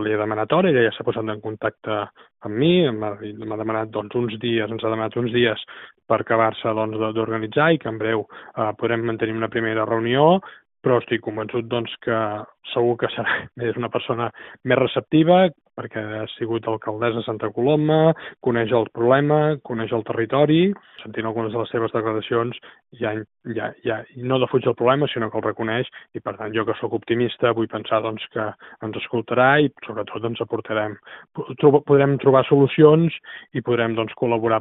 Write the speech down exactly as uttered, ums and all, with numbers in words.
li he demanat hora, ella ja s'ha posat en contacte amb mi, m'ha demanat doncs, uns dies, ens ha demanat uns dies per acabar-se doncs, d'organitzar i que en breu eh, podrem mantenir una primera reunió, però estic convençut doncs, que segur que serà és una persona més receptiva, perquè ha sigut alcaldessa de Santa Coloma, coneix el problema, coneix el territori, sentint algunes de les seves declaracions, ja, ja, ja no defuig el problema, sinó que el reconeix, i per tant jo que sóc optimista vull pensar doncs, que ens escoltarà i sobretot ens aportarem, podrem trobar solucions i podrem doncs, col·laborar